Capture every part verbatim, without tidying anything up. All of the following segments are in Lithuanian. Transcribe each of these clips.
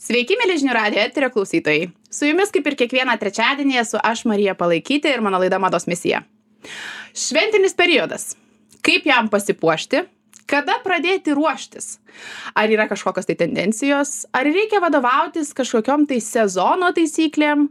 Sveiki, mėly žinių radijo eterio klausytojai. Su jumis kaip ir kiekvieną trečiadienį esu aš Marija Palaikytė ir mano laida Mados misija. Šventinis periodas. Kaip jam pasipuošti? Kada pradėti ruoštis? Ar yra kažkokios tai tendencijos? Ar reikia vadovautis kažkokiom tai sezono taisyklėm?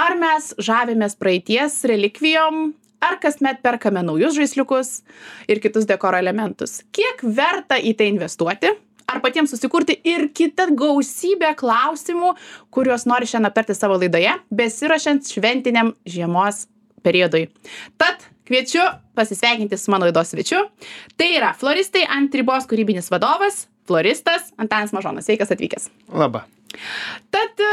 Ar mes žavimės praeities relikvijom? Ar kasmet perkame naujus žaisliukus ir kitus dekoro elementus? Kiek verta į tai investuoti? Ar patiems susikurti ir kitą gausybę klausimų, kuriuos nori šiandien aptarti savo laidoje, besiruošiant šventiniam žiemos periodui. Tad kviečiu pasisveikinti su mano laidos svečiu. Tai yra floristai ant ribos kūrybinis vadovas, floristas Antanas Mažonas. Sveikas atvykęs. Labą. Tad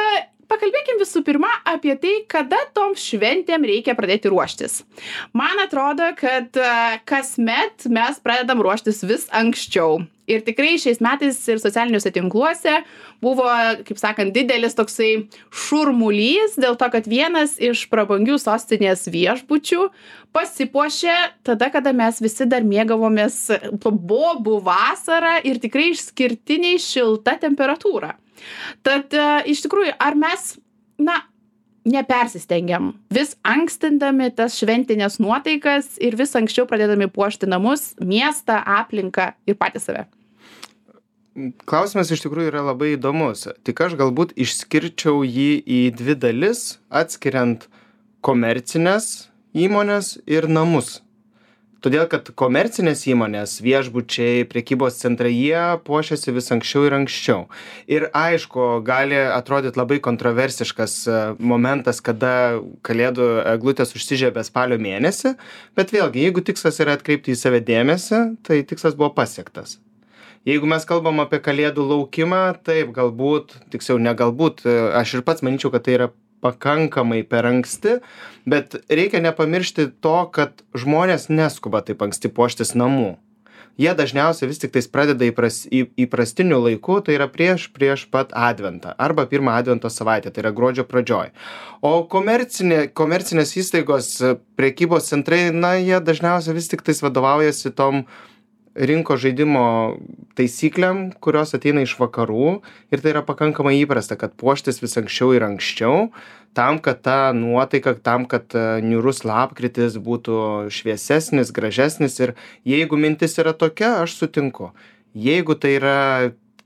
pakalbėkim visų pirma apie tai, kada tom šventėm reikia pradėti ruoštis. Man atrodo, kad kasmet mes pradedam ruoštis vis anksčiau. Ir tikrai šiais metais ir socialiniuose tinkluose buvo, kaip sakant, didelis toksai šurmulys dėl to, kad vienas iš prabangių sostinės viešbučių pasipuošė tada, kada mes visi dar mėgavomės bobų vasarą ir tikrai išskirtiniai šilta temperatūra. Tad iš tikrųjų, ar mes, na, nepersistengiam, vis ankstindami tas šventinės nuotaikas ir vis anksčiau pradėdami puošti namus, miestą, aplinką ir patys save? Klausimas iš tikrųjų yra labai įdomus. Tik aš galbūt išskirčiau jį į dvi dalis, atskiriant komercinės įmonės ir namus. Todėl, kad komercinės įmonės, viešbučiai, prekybos centrai, jie puošiasi vis anksčiau ir anksčiau. Ir aišku, gali atrodyti labai kontroversiškas momentas, kada kalėdų eglutės užsižiebė spalio mėnesį, bet vėlgi, jeigu tikslas yra atkreipti į save dėmesį, tai tikslas buvo pasiektas. Jeigu mes kalbam apie kalėdų laukimą, taip, galbūt, tiksliau ne galbūt, aš ir pats manyčiau, kad tai yra pakankamai per anksti, bet reikia nepamiršti to, kad žmonės neskuba taip anksti puoštis namų. Jie dažniausiai vis tik tais pradeda įpras, į, įprastiniu laiku, tai yra prieš, prieš pat adventą arba pirmą advento savaitę, tai yra gruodžio pradžioj. O komercinė, komercinės įstaigos, prekybos centrai, na, jie dažniausiai vis tik tais vadovaujasi tom rinko žaidimo taisyklėm, kurios ateina iš vakarų ir tai yra pakankamai įprasta, kad puoštis vis anksčiau ir anksčiau, tam, kad ta nuotaika, tam, kad niūrus lapkritis būtų šviesesnis, gražesnis ir jeigu mintis yra tokia, aš sutinku. Jeigu tai yra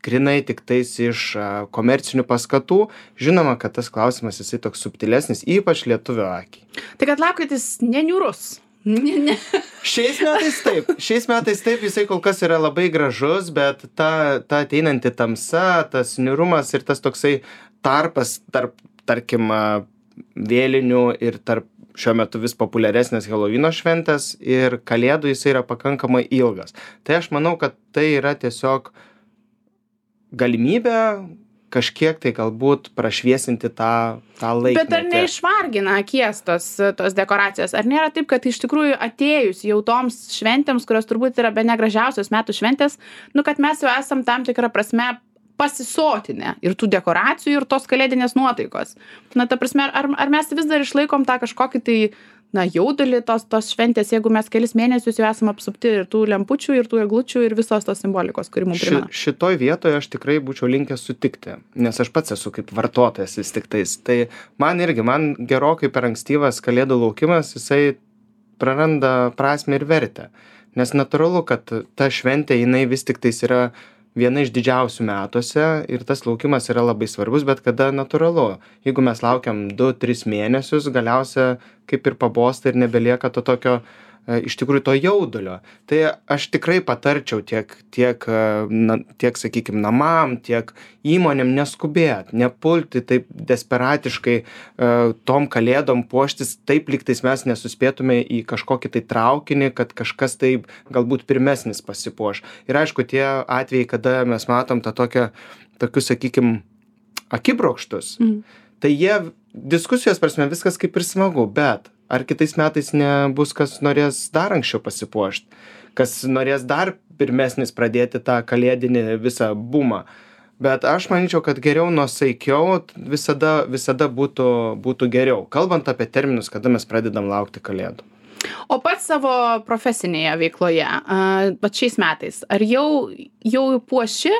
grinai tik tais iš komercinių paskatų, žinoma, kad tas klausimas jisai toks subtilesnis, ypač lietuvio akiai. Tai kad lapkritis neniūrus. Ne, ne. Šiais metais taip, šiais metais taip, jisai kol kas yra labai gražus, bet ta, ta ateinanti tamsa, tas niūrumas ir tas toksai tarpas tarp, tarkim, vėlinių ir tarp šiuo metu vis populiaresnės Helovino šventės ir kalėdų jisai yra pakankamai ilgas. Tai aš manau, kad tai yra tiesiog galimybė kažkiek tai galbūt prašviesinti tą, tą laikmetį. Bet ar neišvargina akies tos, tos dekoracijos? Ar nėra taip, kad iš tikrųjų atėjus jau toms šventėms, kurios turbūt yra bene gražiausios metų šventės, nu kad mes jau esam tam tikrą prasme pasisotinę ir tų dekoracijų ir tos kalėdinės nuotaikos? Na, ta prasme, ar, ar mes vis dar išlaikom tą kažkokį tai na, jaudulį tos, tos šventės, jeigu mes kelis mėnesius jau esame apsupti ir tų lempučių, ir tų eglučių, ir visos tos simbolikos, kuri mums primena. Ši, šitoj vietoje aš tikrai būčiau linkęs sutikti, nes aš pats esu kaip vartotojas vis tik tais. Tai man irgi, man gerokai per ankstyvas kalėdų laukimas, jisai praranda prasmę ir vertę. Nes natūralu, kad ta šventė, jinai vis tik tais yra viena iš didžiausių metuose ir tas laukimas yra labai svarbus, bet kada natūralu. Jeigu mes laukiam du tris mėnesius, galiausia kaip ir pabosta ir nebelieka to tokio, iš tikrųjų, to jaudulio. Tai aš tikrai patarčiau tiek, tiek, na, tiek sakykime, namam, tiek įmonėm neskubėt, nepulti taip desperatiškai tom kalėdom puoštis, taip lygtais mes nesuspėtume į kažkokį tai traukinį, kad kažkas taip galbūt pirmesnis pasipuoš. Ir aišku, tie atvejai, kada mes matom tą tokią, tokius, sakykime, akibrokštus, mm. tai jie diskusijos prasme viskas kaip ir smagu, bet ar kitais metais nebus, kas norės dar anksčiau pasipuošti, kas norės dar pirmesnis pradėti tą kalėdinį visą bumą. Bet aš manyčiau, kad geriau nuosaikiau visada, visada būtų, būtų geriau. Kalbant apie terminus, kada mes pradedam laukti kalėdų. O pats savo profesinėje veikloje, pat šiais metais, ar jau, jau puoši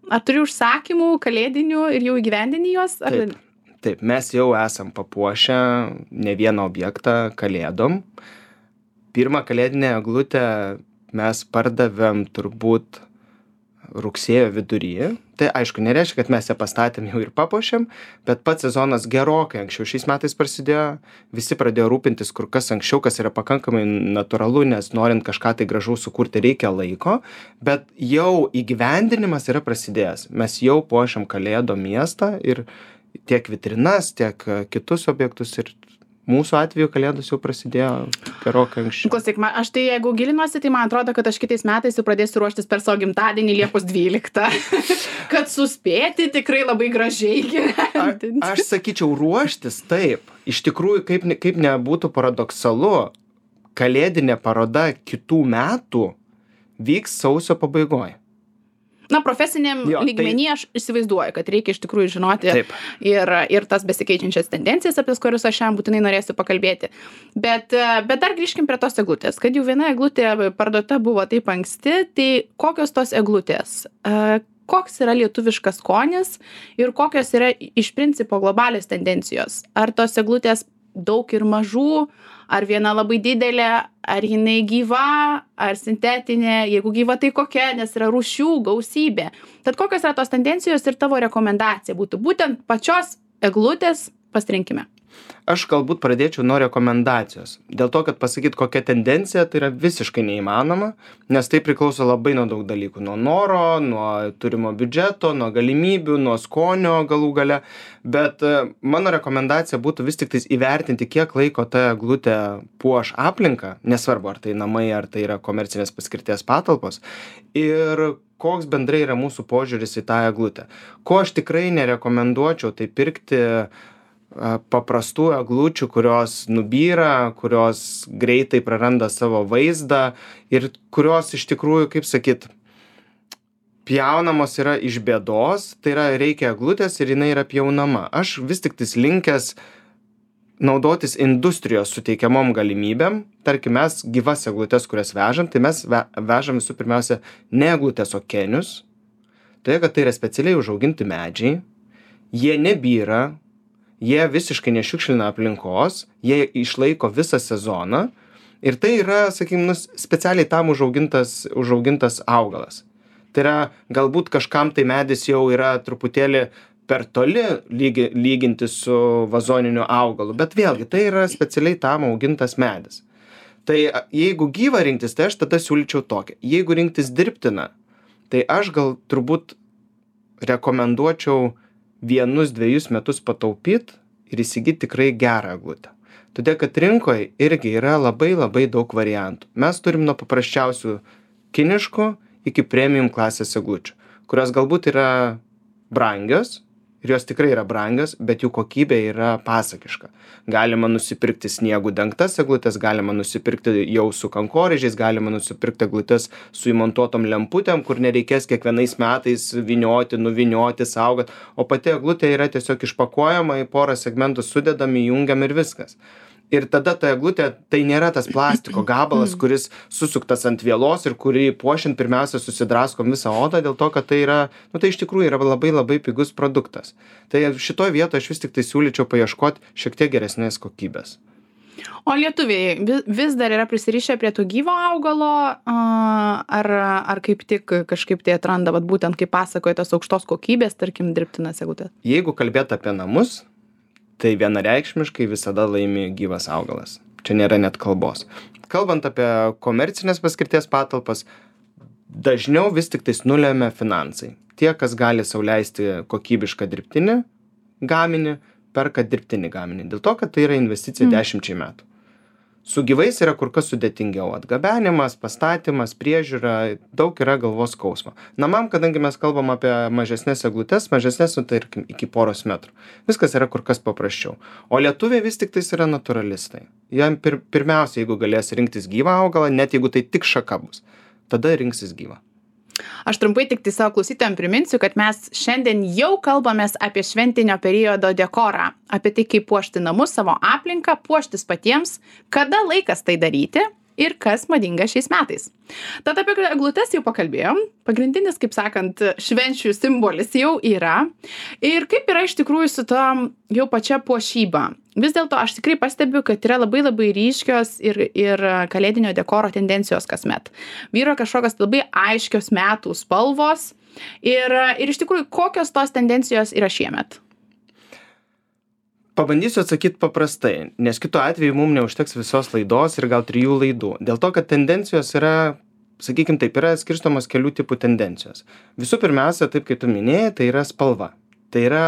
Ar turi užsakymų kalėdinių ir jau įgyvendini juos? Ar... Taip, taip, mes jau esam papuošę ne vieną objektą kalėdom. Pirmą kalėdinę eglutę mes pardavėm turbūt rugsėjo viduryje. Tai aišku, nereiškia, kad mes ją pastatėm jau ir papuošėm, bet pats sezonas gerokai anksčiau šiais metais prasidėjo. Visi pradėjo rūpintis kur kas anksčiau, kas yra pakankamai natūralu, nes norint kažką tai gražaus sukurti reikia laiko, bet jau įgyvendinimas yra prasidėjęs. Mes jau puošiam Kalėdų miestą ir tiek vitrinas, tiek kitus objektus ir mūsų atveju Kalėdos jau prasidėjo gerokai anksčiau. Klausyk, man, aš tai jeigu gilinuosi, tai man atrodo, kad aš kitais metais jau pradėsiu ruoštis per savo gimtadienį Liepos dvyliktą, kad suspėti tikrai labai gražiai gyventi. A, aš sakyčiau, ruoštis taip. Iš tikrųjų, kaip, kaip nebūtų paradoksalu, kalėdinė paroda kitų metų vyks sausio pabaigoje. Na, profesiniam Jo, lygmenį tai- aš įsivaizduoju, kad reikia iš tikrųjų žinoti Taip. ir, ir tas besikeičiančias tendencijas, apie kurias aš šiandien būtinai norėsiu pakalbėti. Bet, e, bet dar grįžkim prie tos eglutės. Kad jau viena eglutė parduota buvo taip anksti, tai kokios tos eglutės? E, Koks yra lietuviškas skonis ir kokios yra iš principo globalios tendencijos? Ar tos eglutės daug ir mažų, ar viena labai didelė, ar jinai gyva, ar sintetinė, jeigu gyva tai kokia, nes yra rūšių gausybė. Tad kokios yra tos tendencijos ir tavo rekomendacija būtų būtent pačios eglutės pasirinkime? Aš galbūt pradėčiau nuo rekomendacijos. Dėl to, kad pasakyt, kokia tendencija, tai yra visiškai neįmanoma, nes tai priklauso labai nuo daug dalykų. Nuo noro, nuo turimo biudžeto, nuo galimybių, nuo skonio galų gale. Bet e, mano rekomendacija būtų vis tik tais įvertinti, kiek laiko ta eglutė puoš aplinką, nesvarbu, ar tai namai, ar tai yra komercinės paskirties patalpos. Ir koks bendrai yra mūsų požiūris į tą eglutę. Ko aš tikrai nerekomenduočiau, tai pirkti paprastų eglučių, kurios nubyra, kurios greitai praranda savo vaizdą ir kurios iš tikrųjų, kaip sakyt, pjaunamos yra iš bėdos, tai yra reikia eglutės ir jinai yra pjaunama. Aš vis tik tais linkęs naudotis industrijos suteikiamom galimybėm. Tarkim, mes gyvas eglutės, kurias vežam, tai mes ve vežam visų pirmiausia ne eglutės, o kenius. Tai, kad tai yra specialiai užauginti medžiai, jie nebyra, jie visiškai nešiukšlina aplinkos, jie išlaiko visą sezoną ir tai yra, sakykim, nu, specialiai tam užaugintas, užaugintas augalas. Tai yra, galbūt kažkam tai medis jau yra truputėlį per toli lygi, lyginti su vazoniniu augalu, bet vėlgi tai yra specialiai tam augintas medis. Tai jeigu gyvą rinktis, tai aš tada siūlyčiau tokią. Jeigu rinktis dirbtiną, tai aš gal turbūt rekomenduočiau vienus dviejus metus pataupyt ir įsigyti tikrai gerą eglutę. Todėl, kad rinkoje irgi yra labai labai daug variantų. Mes turim nuo paprasčiausių kiniškų iki premium klasės eglučių, kurios galbūt yra brangios ir jos tikrai yra brangios, bet jų kokybė yra pasakiška. Galima nusipirkti sniegų dengtas eglutės, galima nusipirkti jau su kankorėžiais, galima nusipirkti eglutės su įmontuotom lemputėm, kur nereikės kiekvienais metais vynioti, nuvynioti, saugot, o pati eglutė yra tiesiog išpakuojama, į porą segmentų sudedami, jungiam ir viskas. Ir tada ta eglutė, tai nėra tas plastiko gabalas, kuris susuktas ant vielos ir kurį puošiant pirmiausia susidraskom visą odą, dėl to, kad tai yra, nu tai iš tikrųjų yra labai labai pigus produktas. Tai šitoje vietoje aš vis tik tai siūlyčiau paieškoti šiek tiek geresnės kokybės. O lietuviai vis dar yra prisirišę prie to gyvo augalo, ar, ar kaip tik kažkaip tai atranda, vat, būtent kaip pasakoja tos aukštos kokybės, tarkim, dirbtinas eglutės? Jeigu kalbėt apie namus, tai vienareikšmiškai visada laimi gyvas augalas. Čia nėra net kalbos. Kalbant apie komercinės paskirties patalpas, dažniau vis tik tais nulėmė finansai. Tie, kas gali sau leisti kokybišką dirbtinį gaminį, perka dirbtinį gaminį. Dėl to, kad tai yra investicija mm. dešimčiai metų. Su gyvais yra kur kas sudėtingiau. Atgabenimas, pastatymas, priežiūra, daug yra galvos skausmo. Namam, kadangi mes kalbam apie mažesnės eglutes, mažesnės, nu, tarkim, iki poros metrų. Viskas yra kur kas paprasčiau. O lietuviai vis tik tais yra naturalistai. Jam pir pirmiausia, jeigu galės rinktis gyvą augalą, net jeigu tai tik šaka bus, tada rinksis gyvą. Aš trumpai tik tai savo klausytojams priminsiu, kad mes šiandien jau kalbamės apie šventinio periodo dekorą, apie tai, kaip puošti namus, savo aplinką, puoštis patiems, kada laikas tai daryti ir kas madinga šiais metais. Tad apie eglutes jau pakalbėjom. Pagrindinis, kaip sakant, švenčių simbolis jau yra. Ir kaip yra iš tikrųjų su to jau pačia puošyba. Vis dėlto aš tikrai pastebiu, kad yra labai labai ryškios ir, ir kalėdinio dekoro tendencijos kasmet. Vyro kažkokios labai aiškios metų spalvos. Ir, ir iš tikrųjų, kokios tos tendencijos yra šiemet? Pabandysiu atsakyti paprastai, nes kitu atveju mums neužteks visos laidos ir gal trijų laidų. Dėl to, kad tendencijos yra, sakykime taip, yra skirstomos kelių tipų tendencijos. Visų pirmiausia, taip kaip tu minėjai, tai yra spalva. Tai yra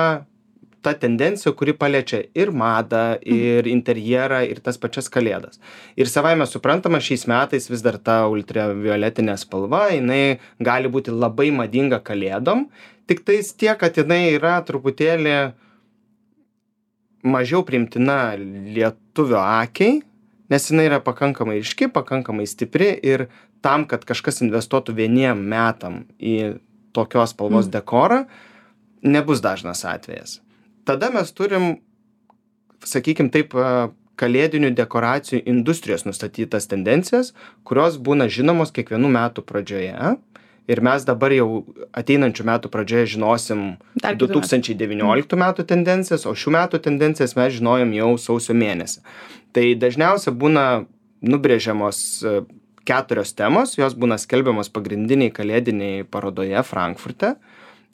ta tendencija, kuri paliečia ir madą, ir interjerą, ir tas pačias kalėdas. Ir savaime suprantama, šiais metais vis dar ta ultravioletinė spalva, jinai gali būti labai madinga kalėdom, tik tais tiek, kad jinai yra truputėlį mažiau priimtina lietuvio akiai, nes jinai yra pakankamai ryški, pakankamai stipri ir tam, kad kažkas investuotų vieniem metam į tokios spalvos mm. dekorą, nebus dažnas atvejas. Tada mes turim, sakykim taip, kalėdinių dekoracijų industrijos nustatytas tendencijas, kurios būna žinomos kiekvienų metų pradžioje. Ir mes dabar jau ateinančių metų pradžioje žinosim du tūkstančiai devynioliktų metų tendencijas, o šių metų tendencijas mes žinojom jau sausio mėnesį. Tai dažniausiai būna nubrėžiamos keturios temos, jos būna skelbiamos pagrindiniai kalėdiniai parodoje Frankfurte.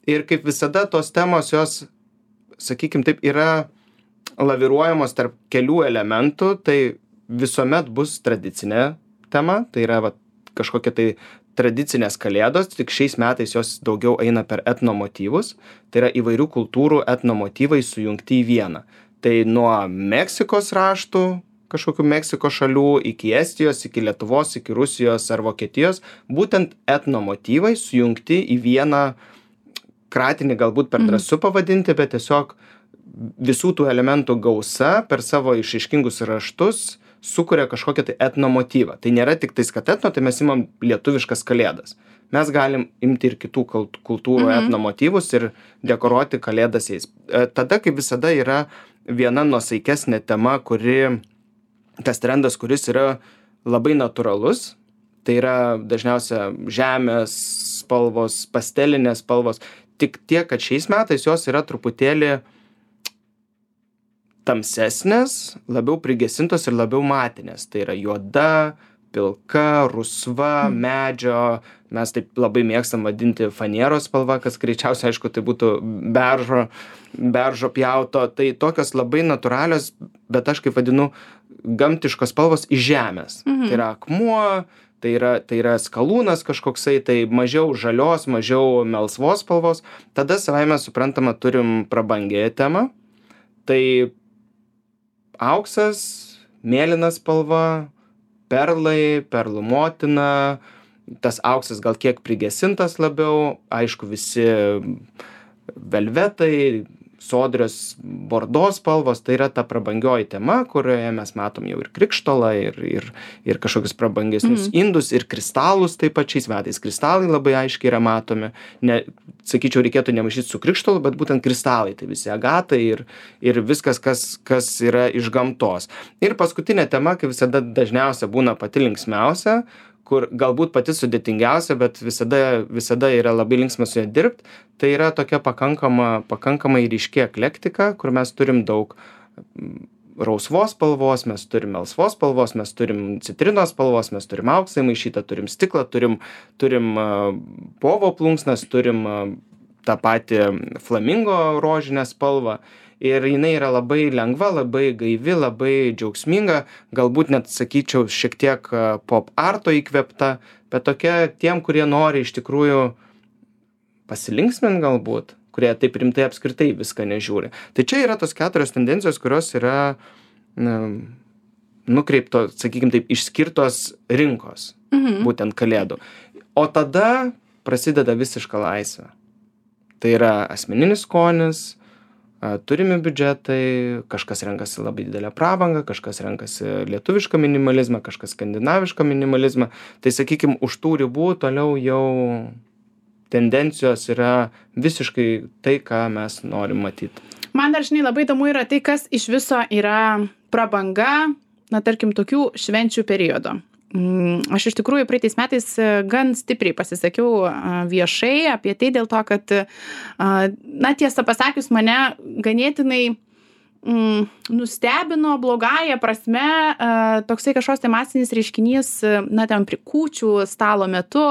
Ir kaip visada tos temos, jos, sakykim taip, yra laviruojamos tarp kelių elementų, tai visuomet bus tradicinė tema, tai yra va, kažkokia tai tradicinės kalėdos, tik šiais metais jos daugiau eina per etnomotyvus, tai yra įvairių kultūrų etnomotyvai sujungti į vieną. Tai nuo Meksikos raštų, kažkokių Meksikos šalių, iki Estijos, iki Lietuvos, iki Rusijos ar Vokietijos, būtent etnomotyvai sujungti į vieną kratinį, galbūt per drąsu pavadinti, bet tiesiog visų tų elementų gausa per savo išaiškingus raštus sukuria kažkokią tai etnomotyvą. Tai nėra tik tais, kad etno, tai mes imam lietuviškas kalėdas. Mes galim imti ir kitų kultūrų mhm. etnomotyvus ir dekoruoti kalėdas jais. Tada, kaip visada, yra viena nuosaikesnė tema, kuri, tas trendas, kuris yra labai natūralus. Tai yra dažniausia žemės spalvos, pastelinės spalvos. Tik tiek, kad šiais metais jos yra truputėlį tamsesnės, labiau prigesintos ir labiau matinės. Tai yra juoda, pilka, rusva, medžio, mes taip labai mėgstam vadinti fanieros spalva, kas greičiausiai, aišku, tai būtų beržo, beržo pjauto. Tai tokios labai natūralios, bet aš kaip vadinu, gamtiškos spalvos iš žemės. Mhm. Tai yra akmuo, tai yra, tai yra skalūnas kažkoksai, tai mažiau žalios, mažiau melsvos spalvos. Tada savaime suprantama turim prabangėję temą. Tai auksas, mėlyna spalva, perlai, perlų motina, tas auksas gal kiek prigesintas labiau, aišku, visi velvetai, sodrios bordo spalvos, tai yra ta prabangioji tema, kurioje mes matom jau ir krikštolą, ir, ir, ir kažkokius prabangesnius mm. indus, ir kristalus taip pat šiais metais. Kristalai labai aiškiai yra matomi. Ne, sakyčiau, reikėtų nemaišyti su krikštolu, bet būtent kristalai, tai visi agatai ir, ir viskas, kas, kas yra iš gamtos. Ir paskutinė tema, kaip visada dažniausia būna pati linksmiausia, kur galbūt pati sudėtingiausia, bet visada, visada yra labai linksma su ja dirbti, tai yra tokia pakankama, pakankamai ryški eklektika, kur mes turim daug rausvos spalvos, mes turim melsvos spalvos, mes turim citrinos spalvos, mes turim auksą įmaišytą, turim stiklą, turim, turim uh, povo plunksnas, turim uh, tą patį flamingo rožinę spalvą. Ir jinai yra labai lengva, labai gaivi, labai džiaugsminga, galbūt net, sakyčiau, šiek tiek pop arto įkvėpta, bet tokia tiem, kurie nori iš tikrųjų pasilinksminti galbūt, kurie taip rimtai apskritai viską nežiūri. Tai čia yra tos keturios tendencijos, kurios yra na, nukreipto, sakykim taip, išskirtos rinkos, mhm. būtent kalėdų. O tada prasideda visiška laisvė. Tai yra asmeninis skonis, turimi biudžetai, kažkas renkasi labai didelę prabangą, kažkas renkasi lietuvišką minimalizmą, kažkas skandinavišką minimalizmą. Tai, sakykim, už tų ribų toliau jau tendencijos yra visiškai tai, ką mes norim matyti. Man dar, žinai, labai įdomu yra tai, kas iš viso yra prabanga, na, tarkim, tokių švenčių periodo. aš iš tikrųjų praeitais metais gan stipriai pasisakiau viešai apie tai dėl to, kad, na, tiesą pasakius, mane ganėtinai mm, nustebino blogąją prasme toksai kažkoks tai masinis reiškinys, na, ten prie kūčių stalo metu,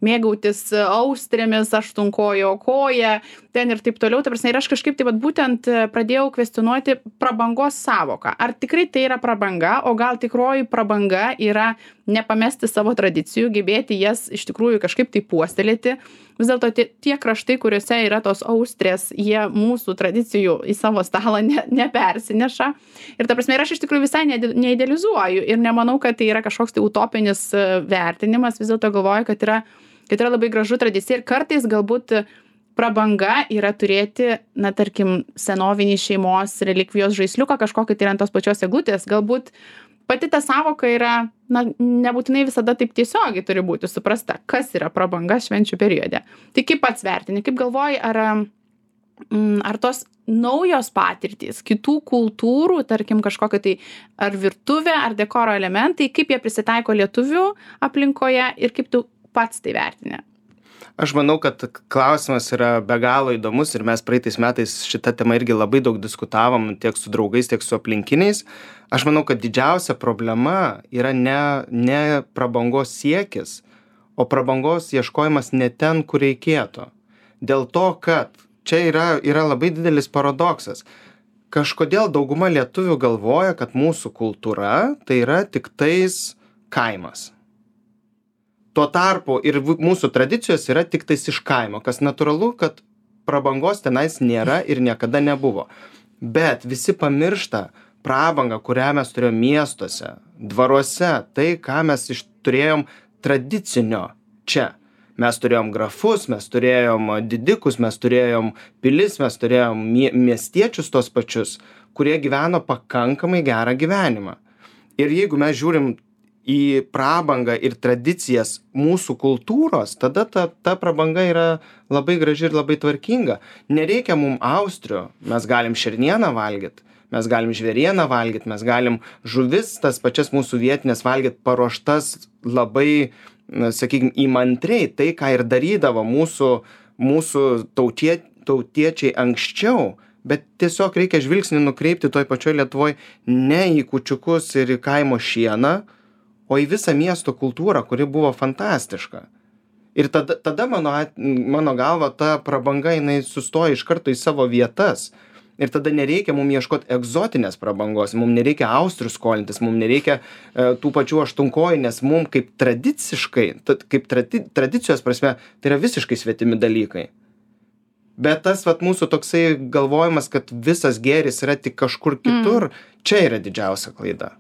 mėgautis austrėmis, aštunkojo koja, ten ir taip toliau. Ta prasme, ir aš kažkaip tai vat, būtent pradėjau kvestionuoti prabangos savoką. Ar tikrai tai yra prabanga, o gal tikroji prabanga yra nepamesti savo tradicijų, gebėti jas iš tikrųjų kažkaip tai puoselėti. Vis dėlto tie, tie kraštai, kuriuose yra tos austrės, jie mūsų tradicijų į savo stalą ne, nepersineša. Ir ta prasme, ir aš iš tikrųjų visai neidealizuoju ir nemanau, kad tai yra kažkoks tai utopinis vertinimas. Vis dėlto galvoju, kad yra, kad yra labai gražu tradicija ir kartais galbūt prabanga yra turėti, na, tarkim, senovinį šeimos relikvijos žaisliuką kažkokį tai ant tos pačios eglutės. Galbūt pati ta savoka yra, na, nebūtinai visada taip tiesiogiai turi būti suprasta, kas yra prabanga švenčių periode. Tai kaip pats vertini, kaip galvoji, ar, ar tos naujos patirtys, kitų kultūrų, tarkim, kažkokia tai ar virtuvė, ar dekoro elementai, kaip jie prisitaiko lietuvių aplinkoje ir kaip tu pats tai vertini? Aš manau, kad klausimas yra be galo įdomus ir mes praeitais metais šitą temą irgi labai daug diskutavom tiek su draugais, tiek su aplinkiniais. Aš manau, kad didžiausia problema yra ne, ne prabangos siekis, o prabangos ieškojimas ne ten, kur reikėtų. Dėl to, kad čia yra, yra labai didelis paradoksas. Kažkodėl dauguma lietuvių galvoja, kad mūsų kultūra tai yra tik tais kaimas. Tuo tarpu ir mūsų tradicijos yra tik tais iš kaimo, kas natūralu, kad prabangos tenais nėra ir niekada nebuvo. Bet visi pamiršta prabangą, kurią mes turėjom miestuose, dvaruose, tai, ką mes iš, turėjom tradicinio čia. Mes turėjom grafus, mes turėjom didikus, mes turėjom pilis, mes turėjom mie miestiečius tos pačius, kurie gyveno pakankamai gerą gyvenimą. Ir jeigu mes žiūrim į prabangą ir tradicijas mūsų kultūros, tada ta, ta prabanga yra labai graži ir labai tvarkinga. Nereikia mum austrių, mes galim šernieną valgyti, mes galim žvėrieną valgyti, mes galim žuvis, tas pačias mūsų vietinės valgyti, paruoštas labai, sakykime, įmantriai, tai, ką ir darydavo mūsų, mūsų tautie, tautiečiai anksčiau. Bet tiesiog reikia žvilgsnį nukreipti toj pačioj Lietuvoje ne į kūčiukus ir į kaimo šieną, o į visą miesto kultūrą, kuri buvo fantastiška. Ir tada, tada mano, mano galva, ta prabanga, jinai sustoja iš karto į savo vietas. Ir tada nereikia mums ieškoti egzotinės prabangos, mums nereikia austrių skolintis, mums nereikia e, tų pačių aštunkojų, nes mums kaip tradiciškai, kaip tradi, tradicijos prasme, tai yra visiškai svetimi dalykai. Bet tas vat, mūsų toksai galvojimas, kad visas gėris yra tik kažkur kitur, mm. čia yra didžiausia klaida.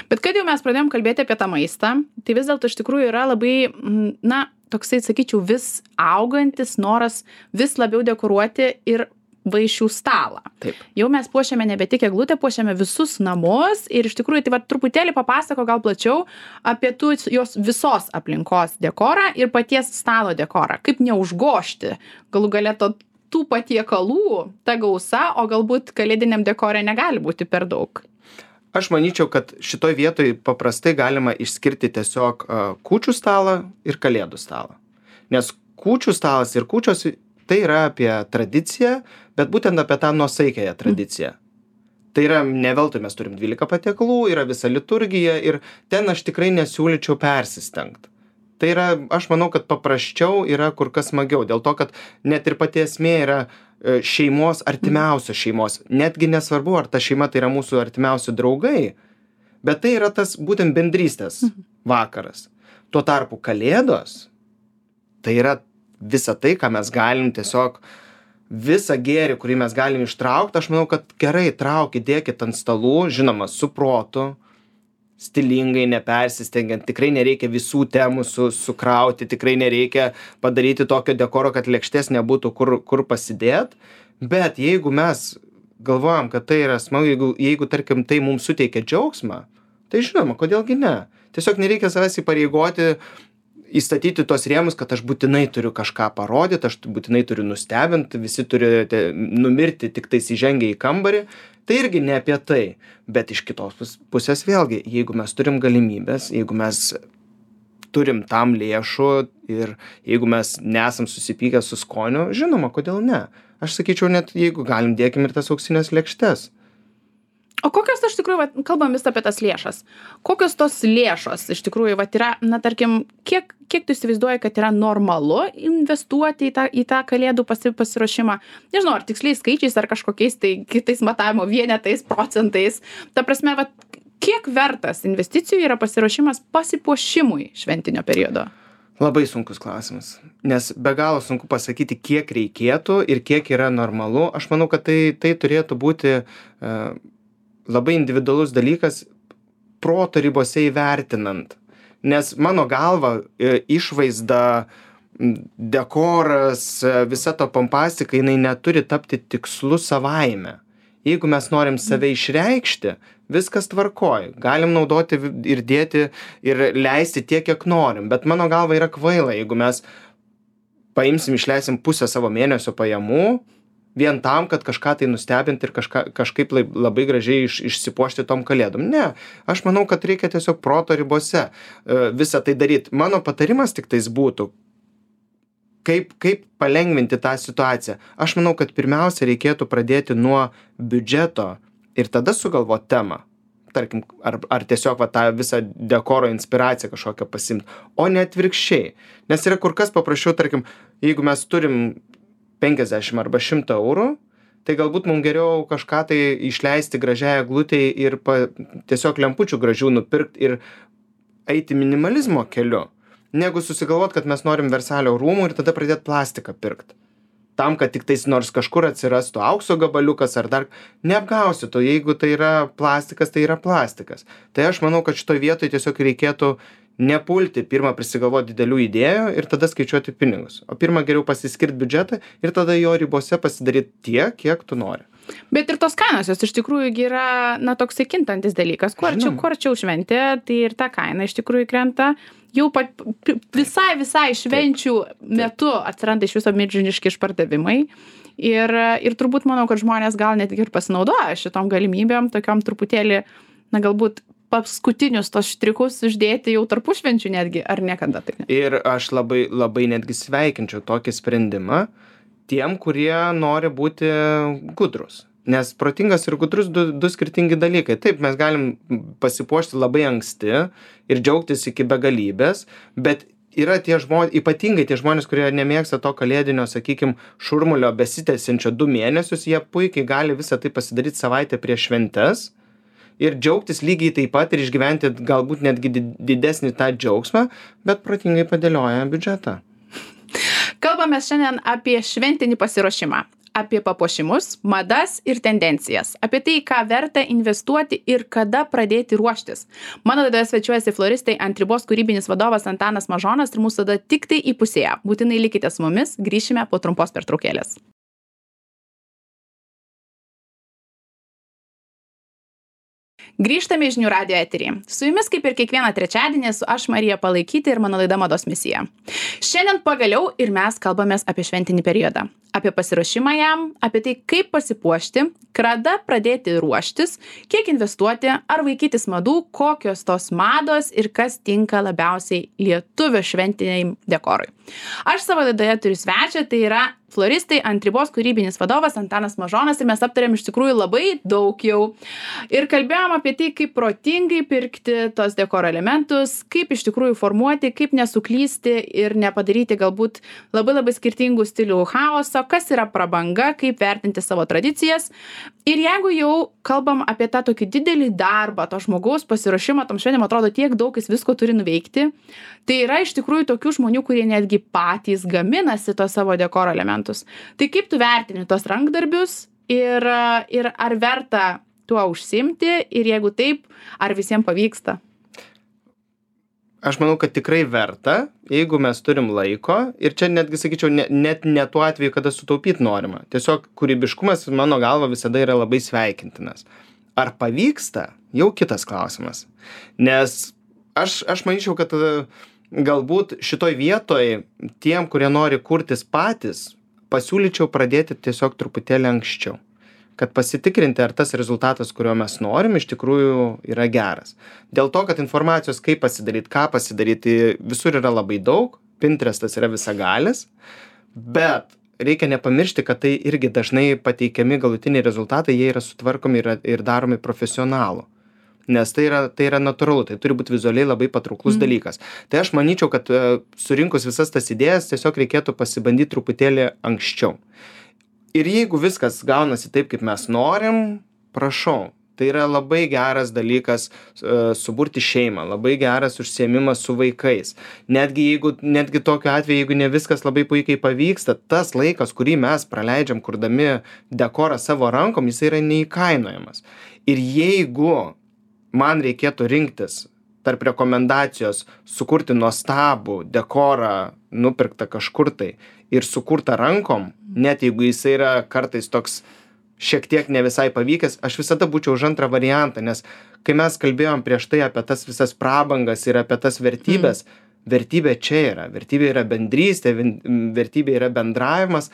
Bet kad jau mes pradėjom kalbėti apie tą maistą, tai vis dėlto iš tikrųjų yra labai, na, toksai, sakyčiau, vis augantis noras vis labiau dekoruoti ir vaišių stalą. Taip. Jau mes puošiame nebe tik eglutę, puošiame visus namus ir iš tikrųjų, tai va, truputėlį papasako gal plačiau apie tų jos visos aplinkos dekorą ir paties stalo dekorą. Kaip neužgožti galų gale to, tų patiekalų, ta gausa, o galbūt kalėdiniam dekore negali būti per daug. Aš manyčiau, kad šitoj vietoj paprastai galima išskirti tiesiog uh, kūčių stalą ir kalėdų stalą. Nes kūčių stalas ir kūčios tai yra apie tradiciją, bet būtent apie tą nuosaikiąją tradiciją. Mm. Tai yra, ne veltui mes turim dvylika patiekalų, yra visa liturgija ir ten aš tikrai nesiūlyčiau persistengti. Tai yra, aš manau, kad paprasčiau yra kur kas smagiau, dėl to, kad net ir pati esmė yra šeimos, artimiausios šeimos. Netgi nesvarbu, ar ta šeima tai yra mūsų artimiausi draugai, bet tai yra tas būtent bendrystės vakaras. Tuo tarpu kalėdos, tai yra visa tai, ką mes galim tiesiog, visą gėrį, kurį mes galim ištraukti, aš manau, kad gerai traukit, dėkit ant stalų, žinoma, su protu, stilingai, nepersistengiant, tikrai nereikia visų temų su, sukrauti, tikrai nereikia padaryti tokio dekoro, kad lėkštės nebūtų kur, kur pasidėt, bet jeigu mes galvojam, kad tai yra smagu, jeigu, jeigu tarkim, tai mums suteikia džiaugsmą, tai žinoma, kodėlgi ne. Tiesiog nereikia savęs įpareigoti, įstatyti tos rėmus, kad aš būtinai turiu kažką parodyti, aš būtinai turiu nustebinti, visi turi numirti tik tais įžengę į kambarį. Tai irgi ne apie tai, bet iš kitos pusės vėlgi, jeigu mes turim galimybės, jeigu mes turim tam lėšų ir jeigu mes nesam susipykę su skoniu, žinoma, kodėl ne. Aš sakyčiau, net jeigu galim, dėkim ir tas auksinės lėkštes. O kokios, iš tikrųjų, vat, kalbam vis apie tas lėšas. Kokios tos lėšos, iš tikrųjų, vat, yra, na, tarkim, kiek, kiek tu įsivaizduoji, kad yra normalu investuoti į tą, į tą kalėdų pasi, pasiruošimą? Nežinau, ar tiksliais skaičiais, ar kažkokiais tai kitais matavimo vienetais, procentais. Ta prasme, vat, kiek vertas investicijų yra pasiruošimas pasipuošimui šventinio periodo? Labai sunkus klausimas, nes be galo sunku pasakyti, kiek reikėtų ir kiek yra normalu. Aš manau, kad tai, tai turėtų būti uh, labai individualus dalykas proto ribose įvertinant. Nes mano galva išvaizda, dekoras, visa to pompastika, jinai neturi tapti tikslu savaime. Jeigu mes norim save išreikšti, viskas tvarkoj. Galim naudoti ir dėti ir leisti tiek, kiek norim. Bet mano galva yra kvaila, jeigu mes paimsim, išleisim pusę savo mėnesio pajamų, vien tam, kad kažką tai nustebinti ir kažką, kažkaip labai gražiai iš, išsipuošti tom kalėdom. Ne, aš manau, kad reikia tiesiog proto ribose uh, visą tai daryti. Mano patarimas tik tais būtų, kaip, kaip palengvinti tą situaciją. Aš manau, kad pirmiausia reikėtų pradėti nuo biudžeto ir tada sugalvoti temą. Tarkim, ar, ar tiesiog va, tą visą dekoro inspiraciją kažkokią pasimti, o ne atvirkščiai. Nes yra kur kas paprasčiau, tarkim, jeigu mes turim penkiasdešimt arba šimtą eurų, tai galbūt mums geriau kažką tai išleisti gražiai eglutei ir pa, tiesiog lempučių gražių nupirkti ir eiti minimalizmo keliu, negu susigalvot, kad mes norim Versalio rūmų ir tada pradėti plastiką pirkti. Tam, kad tik tais nors kažkur atsirastų aukso gabaliukas ar dar neapgausi to, jeigu tai yra plastikas, tai yra plastikas. Tai aš manau, kad šitoj vietoj tiesiog reikėtų nepulti, pirmą prisigalvoti didelių idėjų ir tada skaičiuoti pinigus. O pirmą geriau pasiskirti biudžetą ir tada jo ribose pasidaryti tiek, kiek tu nori. Bet ir tos kainos, jos iš tikrųjų yra, na, toksai kintantis dalykas. Kuo arčiau, kuo arčiau šventė, tai ir ta kaina iš tikrųjų krenta. Jau pat, visai, visai švenčių metu atsiranda iš viso milžiniški išpardavimai. Ir, ir turbūt manau, kad žmonės gal net ir pasinaudoja šitom galimybėm, tokiom truputėlį, na, galbūt paskutinius tos štrikus uždėti jau tarpušvenčių netgi, ar niekada taip ne? Ir aš labai, labai netgi sveikinčiau tokį sprendimą tiem, kurie nori būti gudrus. Nes protingas ir gudrus du, du skirtingi dalykai. Taip, mes galim pasipuošti labai anksti ir džiaugtis iki begalybės, bet yra tie žmonės, ypatingai tie žmonės, kurie nemėgsta to kalėdinio, sakykime, šurmulio besitęsiančio du mėnesius, jie puikiai gali visą tai pasidaryti savaitę prieš šventes ir džiaugtis lygiai taip pat ir išgyventi galbūt netgi didesnį tą džiaugsmą, bet protingai padėlioja biudžetą. Kalbame šiandien apie šventinį pasiruošimą, apie papuošimus, madas ir tendencijas, apie tai, ką verta investuoti ir kada pradėti ruoštis. Mano laidoje svečiuojasi floristai Ant ribos kūrybinis vadovas Antanas Mažonas ir mūsų tada tik tai įpusėja. Būtinai likite su mumis, grįšime po trumpos pertraukėlės. Grįžtame į Žinių radijo eterį. Su jumis kaip ir kiekvieną trečiadienį esu aš Marija Palaikytė ir mano laida Mados misija. Šiandien pagaliau ir mes kalbamės apie šventinį periodą, apie pasiruošimą jam, apie tai, kaip pasipuošti, kada pradėti ruoštis, kiek investuoti, ar vaikytis madų, kokios tos mados ir kas tinka labiausiai lietuvio šventiniai dekorui. Aš savo laidoje turiu svečią, tai yra floristai Ant ribos kūrybinis vadovas Antanas Mažonas ir mes aptarėm iš tikrųjų labai daug jau ir kalbėjom apie tai, kaip protingai pirkti tos dekoro elementus, kaip iš tikrųjų formuoti, kaip nesuklysti ir nepadaryti galbūt labai labai skirtingų stilių chaoso, kas yra prabanga, kaip vertinti savo tradicijas. Ir jeigu jau kalbam apie tą tokį didelį darbą, to žmogaus pasiruošimą, tam šventėm atrodo tiek daug jis visko turi nuveikti, tai yra iš tikrųjų tokių žmonių, kurie netgi patys gaminasi tos savo dekoro elementus. Tai kaip tu vertini tos rankdarbius ir, ir ar verta tuo užsimti ir jeigu taip, ar visiems pavyksta? Aš manau, kad tikrai verta, jeigu mes turim laiko ir čia netgi sakyčiau, ne, net ne tuo atveju, kada sutaupyti norima. Tiesiog kūrybiškumas mano galva visada yra labai sveikintinas. Ar pavyksta? Jau kitas klausimas. Nes aš, aš manyčiau, kad galbūt šitoj vietoj tiem, kurie nori kurtis patys, pasiūlyčiau pradėti tiesiog truputėlį anksčiau. kad pasitikrinti, ar tas rezultatas, kurio mes norim, iš tikrųjų yra geras. Dėl to, kad informacijos, kaip pasidaryti, ką pasidaryti, visur yra labai daug, Pinterestas yra visagalis, bet reikia nepamiršti, kad tai irgi dažnai pateikiami galutiniai rezultatai, jie yra sutvarkomi ir, ir daromi profesionalų. Nes tai yra, tai yra natūralu, tai turi būti vizualiai labai patrauklus mm. dalykas. Tai aš manyčiau, kad surinkus visas tas idėjas, tiesiog reikėtų pasibandyti truputėlį anksčiau. Ir jeigu viskas gaunasi taip, kaip mes norim, prašau. Tai yra labai geras dalykas uh, suburti šeimą, labai geras užsiėmimas su vaikais. Netgi, jeigu, netgi tokiu atveju, jeigu ne viskas labai puikiai pavyksta, tas laikas, kurį mes praleidžiam kurdami dekorą savo rankom, jis yra neįkainojamas. Ir jeigu man reikėtų rinktis tarp rekomendacijos sukurti nuostabų dekorą, nupirktą kažkur tai ir sukurtą rankom, net jeigu jis yra kartais toks šiek tiek ne visai pavykęs, aš visada būčiau už antrą variantą, nes kai mes kalbėjom prieš tai apie tas visas prabangas ir apie tas vertybės, mm. vertybė čia yra, vertybė yra bendrystė, vertybė yra bendravimas,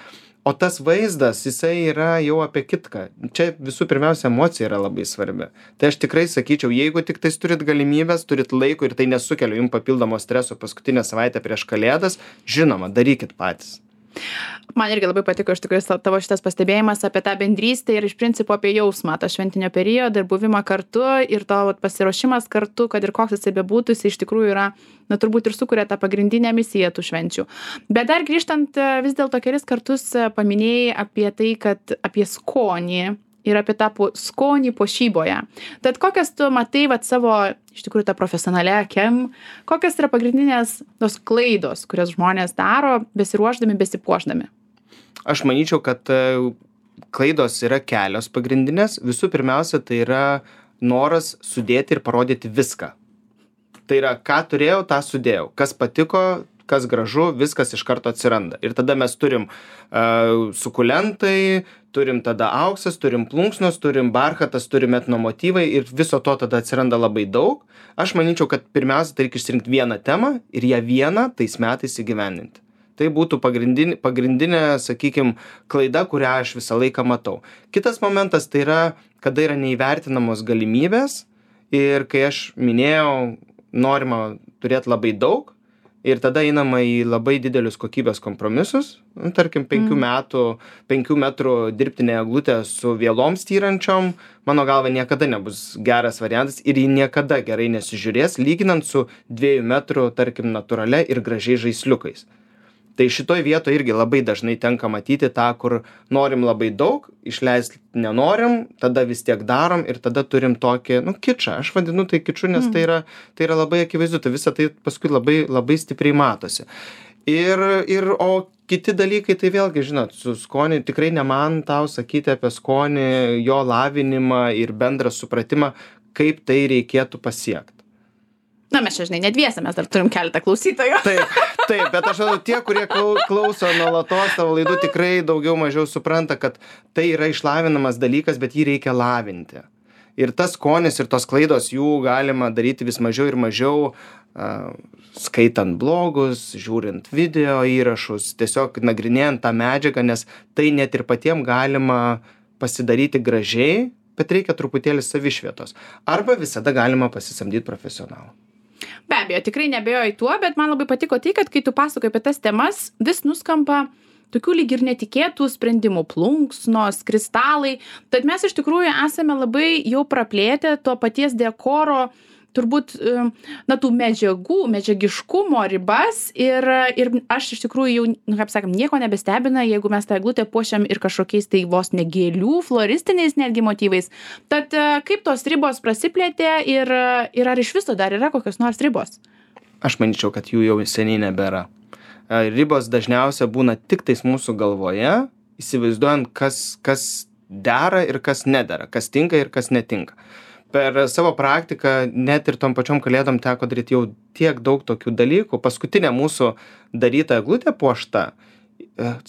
o tas vaizdas, jisai yra jau apie kitką. Čia visų pirmiausia emocija yra labai svarbi. Tai aš tikrai sakyčiau, jeigu tik tais turit galimybės, turit laiko ir tai nesukelia jums papildomo streso paskutinę savaitę prieš Kalėdas, žinoma, darykit patys. Man irgi labai patiko iš tikrųjų tavo šitas pastebėjimas apie tą bendrystę ir iš principo apie jausmą, tą šventinio periodą ir buvimą kartu ir to vat, pasiruošimas kartu, kad ir koks jisai bebūtų, jis iš tikrųjų yra, na turbūt ir sukuria tą pagrindinę misiją tų švenčių. Bet dar grįžtant vis dėlto kelis kartus paminėjai apie tai, kad apie skonį ir apie tą po, skonį puošyboje. Tad kokias tu matai vat, savo, iš tikrųjų, tą profesionalią akim, kokias yra pagrindinės tos klaidos, kurias žmonės daro, besiruošdami, besipuošdami? Aš manyčiau, kad klaidos yra kelios pagrindinės. Visų pirmiausia, tai yra noras sudėti ir parodyti viską. Tai yra, ką turėjau, tą sudėjau. Kas patiko, kas gražu, viskas iš karto atsiranda. Ir tada mes turim uh, sukulentai, turim tada auksas, turim plunksnos, turim barchatas, turim etnomotyvai ir viso to tada atsiranda labai daug. Aš manyčiau, kad pirmiausia, tai reikia išsirinkti vieną temą ir ją vieną tais metais įgyvendinti. Tai būtų pagrindinė, pagrindinė sakykime, klaida, kurią aš visą laiką matau. Kitas momentas tai yra, kada yra neįvertinamos galimybės ir kai aš minėjau, norima turėti labai daug, ir tada einama į labai didelius kokybės kompromisus, nu, tarkim, penkių, mm. metų, penkių metrų dirbtinė eglutė su vielom styrančiom, mano galva niekada nebus geras variantas ir ji niekada gerai nesižiūrės, lyginant su dviejų metrų, tarkim, natūralia ir gražiai žaisliukais. Tai šitoj vietoje irgi labai dažnai tenka matyti tą, kur norim labai daug, išleisti nenorim, tada vis tiek darom ir tada turim tokį, nu, kičą. Aš vadinu tai kiču, nes mm. tai, yra, tai yra labai akivaizdu, tai visa tai paskui labai, labai stipriai matosi. Ir, ir, o kiti dalykai, tai vėlgi, žinot, su skoniu, tikrai ne man tau sakyti apie skonį, jo lavinimą ir bendrą supratimą, kaip tai reikėtų pasiekti. Na, mes čia, žinai, nedviese, mes dar turim keletą klausytojų. Taip, taip, bet aš manau, tie, kurie klauso nuolatos tavo laidų, tikrai daugiau mažiau supranta, kad tai yra išlavinamas dalykas, bet jį reikia lavinti. Ir tas skonis ir tos klaidos, jų galima daryti vis mažiau ir mažiau, uh, skaitant blogus, žiūrint video įrašus, tiesiog nagrinėjant tą medžiagą, nes tai net ir patiem galima pasidaryti gražiai, bet reikia truputėlį savišvietos. Arba visada galima pasisamdyti profesionalą. Be abejo, tikrai nebejoju tuo, bet man labai patiko tai, kad kai tu pasakoji apie tas temas, vis nuskamba tokių lyg ir netikėtų sprendimų, plunksnos, kristalai. Tad mes iš tikrųjų esame labai jau praplėtę to paties dekoro, turbūt, na, tų medžiagų, medžiagiškumo ribas ir, ir aš iš tikrųjų jau, nu, kaip sakėm, nieko nebestebina, jeigu mes tą eglutę puošiam ir kažkokiais tai vos ne gėlių, floristiniais netgi motyvais. Tad kaip tos ribos prasiplėtė ir, ir ar iš viso dar yra kokios nors ribos? Aš manyčiau, kad jų jau seniai nebėra. Ribos dažniausia būna tik tais mūsų galvoje, įsivaizduojant, kas, kas dera ir kas nedera, kas tinka ir kas netinka. Per savo praktiką net ir tom pačiom kalėdom teko daryti jau tiek daug tokių dalykų. Paskutinė mūsų daryta eglutė puošta,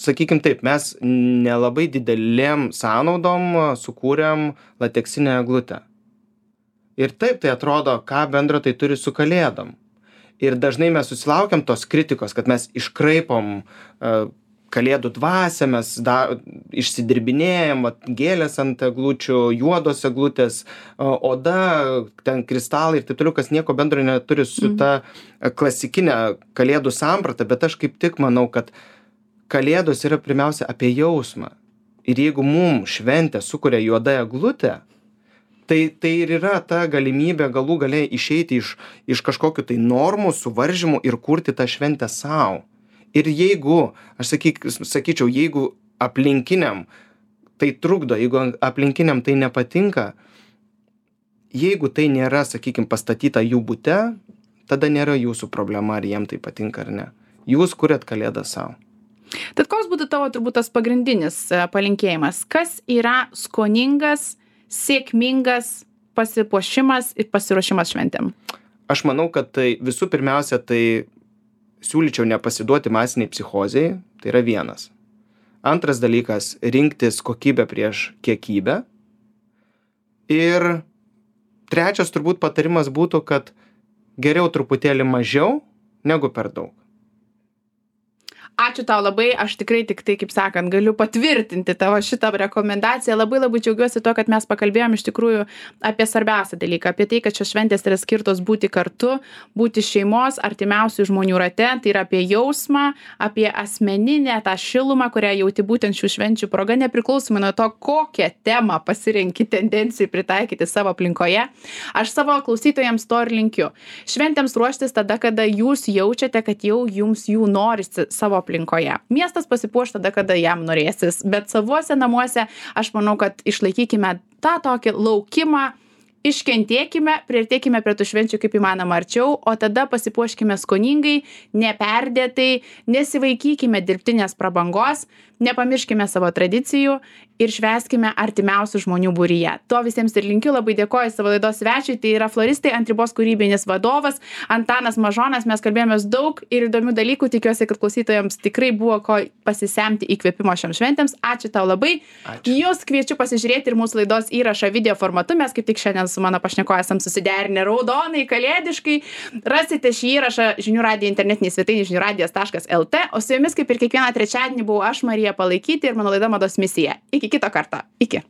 sakykim taip, mes nelabai didelėm sąnaudom sukūrėm lateksinę eglutę. Ir taip tai atrodo, ką bendro tai turi su kalėdom. Ir dažnai mes susilaukiam tos kritikos, kad mes iškraipom kalėdų dvasią, mes da, išsidirbinėjom, vat, gėlės ant eglučių, juodos eglutės, oda, ten kristalai ir taip toliau, kas nieko bendro neturi su ta klasikinė kalėdų samprata, bet aš kaip tik manau, kad kalėdos yra pirmiausia apie jausmą. Ir jeigu mum šventę sukuria juoda eglutė, tai, tai ir yra ta galimybė galų gale išeiti iš, iš kažkokių tai normų, suvaržymų ir kurti tą šventę savo. Ir jeigu, aš sakyk, sakyčiau, jeigu aplinkiniam tai trukdo, jeigu aplinkiniam tai nepatinka, jeigu tai nėra, sakykim, pastatyta jų bute, tada nėra jūsų problema, ar jiem tai patinka ar ne. Jūs kuriat kalėdą savo. Tad koks būtų tavo turbūt tas pagrindinis palinkėjimas? Kas yra skoningas, sėkmingas pasipuošimas ir pasiruošimas šventėm? Aš manau, kad tai visų pirmiausia, tai siūlyčiau nepasiduoti masiniai psichozei, tai yra vienas. Antras dalykas, rinktis kokybę prieš kiekybę. Ir trečias turbūt patarimas būtų, kad geriau truputėlį mažiau negu per daug. Ačiū tau labai, aš tikrai tik tai, kaip sakant, galiu patvirtinti tavo šitą rekomendaciją. Labai labai džiaugiuosi to, kad mes pakalbėjom iš tikrųjų apie svarbiausią dalyką, apie tai, kad šios šventės yra skirtos būti kartu, būti šeimos, artimiausių žmonių rate, tai yra apie jausmą, apie asmeninę tą šilumą, kurią jauti būtent šių švenčių proga, nepriklausomai nuo to, kokią temą pasirenki tendencijai pritaikyti savo aplinkoje. Aš savo klausytojams to ir linkiu. Šventėms ruoštis tada, kada jūs jaučiate, kad jau jums jų norisi savo aplinkoje. Miestas pasipuoš tada, kada jam norėsis, bet savuose namuose aš manau, kad išlaikykime tą tokį laukimą, iškentėkime, priartėkime prie tų švenčių kaip įmanoma arčiau, o tada pasipuoškime skoningai, neperdėtai, nesivaikykime dirbtinės prabangos, nepamirškime savo tradicijų ir švęskime artimiausių žmonių būryje. To visiems ir linkiu, labai dėkoju savo laidos svečiui, tai yra floristai ant ribos kūrybinis vadovas Antanas Mažonas, mes kalbėjomės daug ir įdomių dalykų, tikiuosi, kad klausytojams tikrai buvo ko pasisemti įkvėpimo šiam šventėms. Ačiū tau labai. Ačiū. Jūs kviečiu pasižiūrėti ir mūsų laidos įrašą video formatu, mes kaip tik šiandien su mano pašnekovu esam susiderinę raudonai, kalėdiškai. Rasite šį įrašą žinių radijo internetinėje svetainėje žinių radijas taškas el tė, o su jumis kaip ir kiekvieną trečiadienį buvau aš, Marija Palaikyti, ir mano laida Mados misija. Iki kito karto. Iki.